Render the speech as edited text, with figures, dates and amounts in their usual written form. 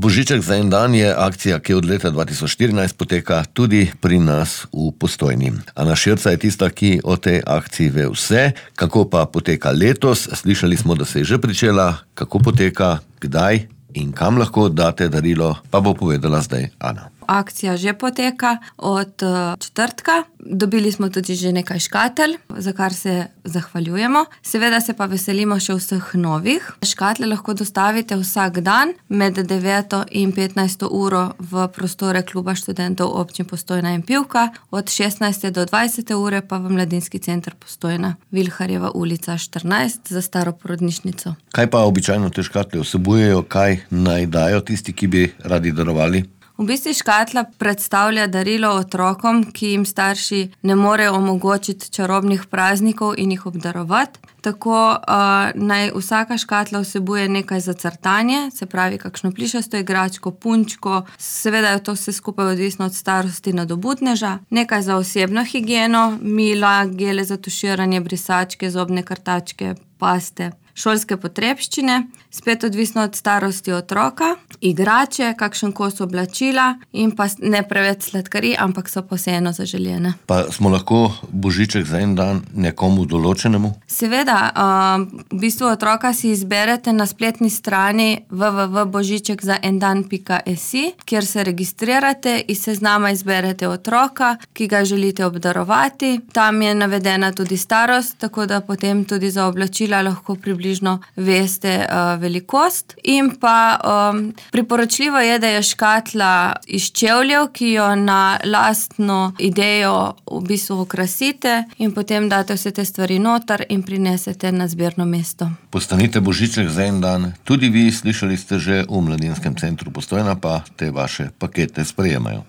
Božiček za en dan je akcija, ki od leta 2014 poteka tudi pri nas v Postojni. Ana Širca je tista, ki o tej akciji ve vse. Kako pa poteka letos? Slišali smo, da se je že pričela. Kako poteka, kdaj in kam lahko date darilo, pa bo povedala zdaj Ana. Akcija že poteka od četrtka. Dobili smo tudi že nekaj škatelj, za kar se zahvaljujemo. Seveda se pa veselimo še vseh novih. Škatle lahko dostavite vsak dan med 9. in 15. uro v prostore Kluba študentov občin Postojna in Pivka, od 16. do 20. ure pa v Mladinski center Postojna, Vilharjeva ulica 14 za staro porodnišnico. Kaj pa običajno te škatle vsebujejo, kaj naj dajo tisti, ki bi radi darovali? V bistvu škatla predstavlja darilo otrokom, ki jim starši ne morejo omogočiti čarobnih praznikov in jih obdarovati. Tako naj vsaka škatla vsebuje nekaj za crtanje, se pravi kakšno plišasto igračko, punčko, seveda je to vse skupaj odvisno od starosti nadobudneža, nekaj za osebno higieno, mila, gele za tuširanje, brisačke, zobne krtačke, paste, šolske potrebščine, spet odvisno od starosti otroka, igrače, kakšen kos oblačila in pa ne preveč sladkarij, ampak so pa vseeno zaželjene. Pa smo lahko božiček za en dan nekomu določenemu? Seveda, v bistvu otroka si izberete na spletni strani www.božičekzaendan.si, kjer se registrirate, iz seznama izberete otroka, ki ga želite obdarovati. Tam je navedena tudi starost, tako da potem tudi za oblačila lahko približno veste velikost. In pa priporočljivo je, da je škatla iz čevljev, ki jo na lastno idejo v bistvu okrasite in potem date vse te stvari noter in prinesete na zbirno mesto. Postanite božiček za en dan. Tudi vi, slišali ste že, v Mladinskem centru Postojna pa te vaše pakete sprejemajo.